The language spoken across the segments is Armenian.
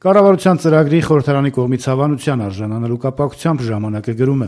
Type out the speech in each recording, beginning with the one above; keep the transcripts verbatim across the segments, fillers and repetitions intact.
Կառավարության ծրագրի խորհրդարանի կողմից հավանության արժանանալու կապակցությամբ ժամանակը գրում է.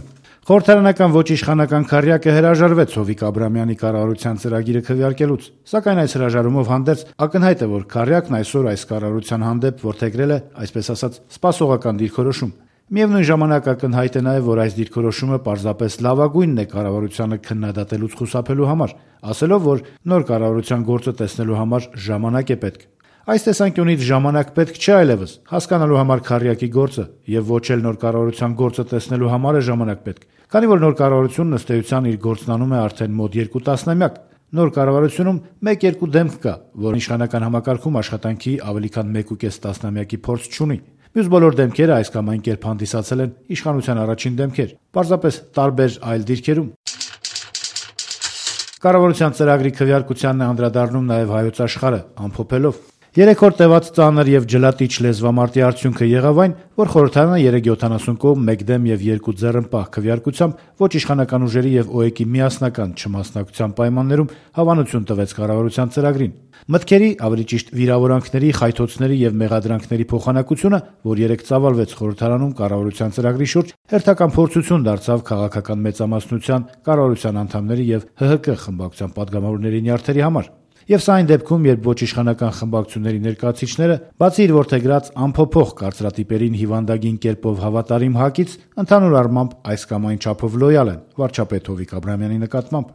Խորհրդարանական ոչ իշխանական քառյակը հրաժարվեց Հովիկ Աբրամյանի կառավարության ծրագիրը քվեարկելուց, սակայն այս հրաժարումով հանդերձ ակնհայտ է, որ քառյակն այսօր այս կառավարության հանդեպ որդեգրել է, այսպես ասած, սպասողական դիրքորոշում։ Միևնույն ժամանակ ակնհայտ է նաև, որ այս դիրքորոշումը պարզապես լավագույնն է կառավարությանը քննադատելուց խուսափելու համար, ասելով, որ նոր կառավարության գործը տեսնելու համար ժամանակ է պետք։ Այս տեսանկյունից ժամանակ պետք չէ այլևս հասկանալու համար քառյակի գործը եւ ոչ էլ նոր կառավարության գործը տեսնելու համար է ժամանակ պետք, քանի որ նոր կառավարությունն ըստ էության իր գործն անում է արդեն մոտ երկու տասնամյակ։ Նոր կառավարությունում մեկ-երկու դեմք կա, որ իշխանական համակարգում աշխատանքի ավելի քան մեկ ու կես տասնամյակի փորձ չունի։ Մյուս բոլոր դեմքերը այս կամ այն կերպ հանդիսացել են իշխանության առաջին դեմքեր, պարզապես տարբեր այլ դիրքերում։ Կառավարության ծրագրի քվեարկությանն է անդրադառնում նաև Հայոց Աշխարհը, ամփոփելով. Երեք օր տևած ծանր եւ ջլատիչ լեզվամարտի արդյունքը եղավ այն, որ խորհրդարանը երեք յոթանասուն կողմ մեկ դեմ եւ երկու ձեռնպահ քվեարկությամբ ոչ իշխանական ուժերի եւ ՕԵԿ-ի միասնական չմասնակցության պայմաններում հավանություն տվեց կառավարության ծրագրին։ Մտքերի, ավելի ճիշտ վիրավորանքների, խայթոցների եւ մեղադրանքների փոխանակությունը, որ երեք ծավալվեց խորհրդարանում կառավարության ծրագրի շուրջ, հերթական փորձություն դարձավ քաղաքական մեծամասնության, կառավարության անդամների եւ ՀՀԿ խմբակցության падգամավորների նյարդերի համար։ Եվ սա այն դեպքում, երբ ոչ իշխանական խմբակցությունների ներկայացուցիչները, բացի իր որդեգրած անփոփոխ կարծրատիպերին հիվանդագին կերպով հավատարիմ ՀԱԿ-ից, ընդհանուր առմամբ այս կամ այն չափով լոյալ են վարչապետ Հովիկ Աբրամյանի նկատմամբ։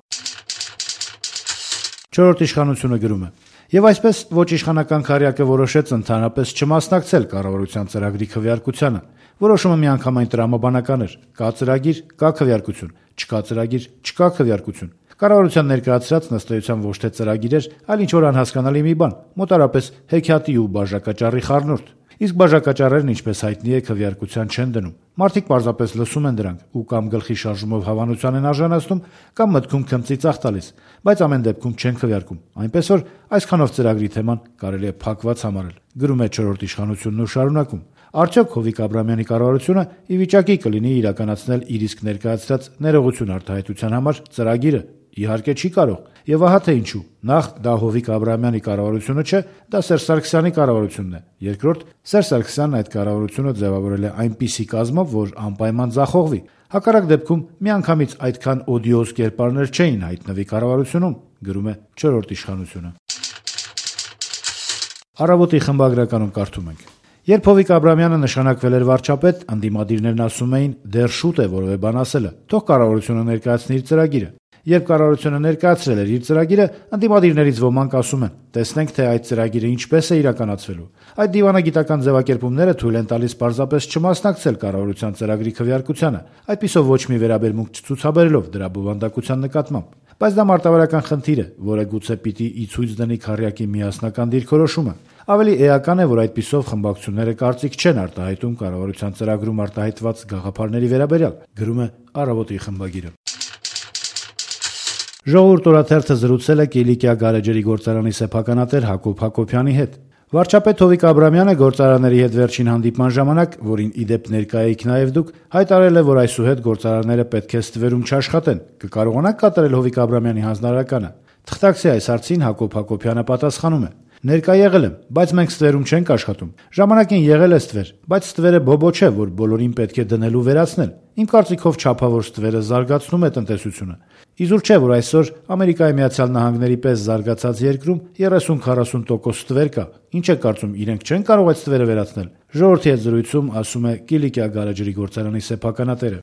Չորրորդ իշխանությունը գրում է. Եվ այսպես ոչ իշխանական քառյակը որոշեց ընդհանրապես չմասնակցել կառավարության ծրագրի քվեարկությանը։ Որոշումը միանգամայն տրամաբանական էր. կա ծրագիր, կա քվեարկություն, չկա ծրագիր, չկա քվեարկություն։ Կառավարության ներկայացրած ըստ էության ոչ թե ծրագիր էր, այլ ինչ-որ անհասկանալի մի բան, մոտարապես հեքիաթի ու բաժակաճառի խառնուրդ։ Իսկ բաժակաճառերն, ինչպես հայտնի է, քվեարկության չեն դնում։ Մարդիկ պարզապես լսում են դրանք ու կամ գլխի շարժումով հավանության են արժանացնում, կամ մտքում քմծի ծախ տալիս, բայց ամեն դեպքում չեն քվեարկում։ Այնպես որ այսքանով ծրագրի թեման կարելի է փակված համարել։ Գրում է չորրորդ իշխանությունն ու շարունակում. Արդյոք Հովիկ Աբրամյանի կառավարությունը ի վիճակի կլինի իրականացնել իր իսկ ներկայացրած ներողություն արտահայտության համար ծրագիրը։ Իհարկե չի կարող։ Եվ ահա թե ինչու։ Նախ դա Հովիկ Աբրամյանի կառավարությունը չէ, դա Սերժ Սարգսյանի կառավարությունն է։ Երկրորդ, Սերժ Սարգսյանն այդ կառավարությունը ձևավորել է այնպիսի կազմով, որ անպայման ձախողվի։ Հակառակ դեպքում միանգամից այդքան օդիոզ կերպարներ չէին հայտնվի կառավարությունում, գրում է չորրորդ իշխանությունը։ Առավոտի խմբագրականում կարդում ենք. Երբ Հովիկ Աբրամյանը նշանակվել էր վարչապետ, ընդդիմադիրներն ասում էին՝ դեռ շուտ է որևէ բան ասելը, թող կառավարությունը ներկայացնի իր ծրագիրը։ Երբ կառավարությունը ներկայացրել էր իր ծրագիրը, ընդդիմադիրներից ոմանք ասում են՝ տեսնենք, թե այդ ծրագիրը ինչպես է իրականացվելու։ Այդ դիվանագիտական ձևակերպումները թույլ են տալիս պարզապես չմասնակցել կառավարության ծրագրի քվեարկությանը, այդպիսով ոչ մի վերաբերմունք չցուցաբերելով դրա բովանդակության նկատմամբ։ Բայց դա մարտավարական խնդիր է, որը գուցե պիտի ի ցույց դնի քառյակի միասնական դիրքորոշումը։ Ավելի էական է, որ այդպիսով խմբակցությունները կարծիք չեն արտահայտում կառավարության ծրագրում արտահայտված գաղափարների վերաբերյալ, գրում է Առավոտի խմբագիրը։ Ժողովուրդ օրաթերթը զրուցել է Կիլիկիա գարեջրի գործարանի սեփականատեր Հակոբ Հակոբյանի հետ։ Վարչապետ Հովիկ Աբրամյանը գործարանների հետ վերջին հանդիպման ժամանակ, որին ի դեպ ներկա էիք նաև դուք, հայտարարել է, որ այսուհետ գործարանները պետք է ստվերում չաշխատեն։ Կկարողանաք կատարել Հովիկ Աբրամյանի հանձնարարականը։ Թղթակցի այս հարցին Հակոբ Հակոբյանը պատասխանում է. Ներկա եղել եմ, բայց մենք ստվերում չենք աշխատում։ Ժամանակին եղել է ստվեր, բայց ստվերը բոբո չէ, որ բոլորին պետք է դնելու վերացնել։ Իմ կարծիքով չափավոր ստվերը զարգացնում է տնտեսությունը։ Իզուր չէ, որ այսօր Ամերիկայի Միացյալ Նահանգների պես զարգացած երկրում երեսուն-քառասուն տոկոս ստվեր կա։ Ինչ է կարծում, իրենք չեն կարող այդ ստվերը վերացնել։ Ժողովրդի հետ զրույցում ասում է Կիլիկիա գարեջրի գործարանի սեփականատերը։